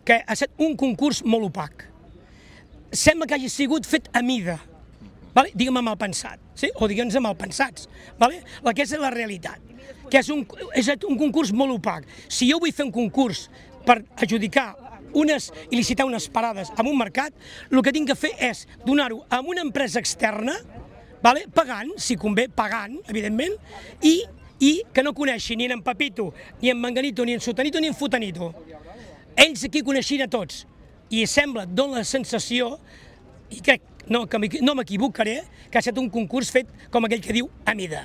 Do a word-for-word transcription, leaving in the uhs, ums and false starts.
que ha estat un concurs molt opac. Sembla que hagi sigut fet a mida, vale? Digue'm mal pensat, sí? O digue'ns mal pensats, vale? La que és la realitat, que és un, és un concurs molt opac. Si jo vull fer un concurs per adjudicar unes i licitar unes parades en un mercat, el que tinc que fer és donar-ho a una empresa externa, vale? Pagant, si convé, pagant, evidentment, i, i que no coneixi ni en Pepito, ni en Manganito, ni en Sotanito, ni en Futanito. Ells aquí coneixien a tots, i sembla, dona la sensació, i crec no, que no m'equivocaré, que ha estat un concurs fet com aquell que diu a mida.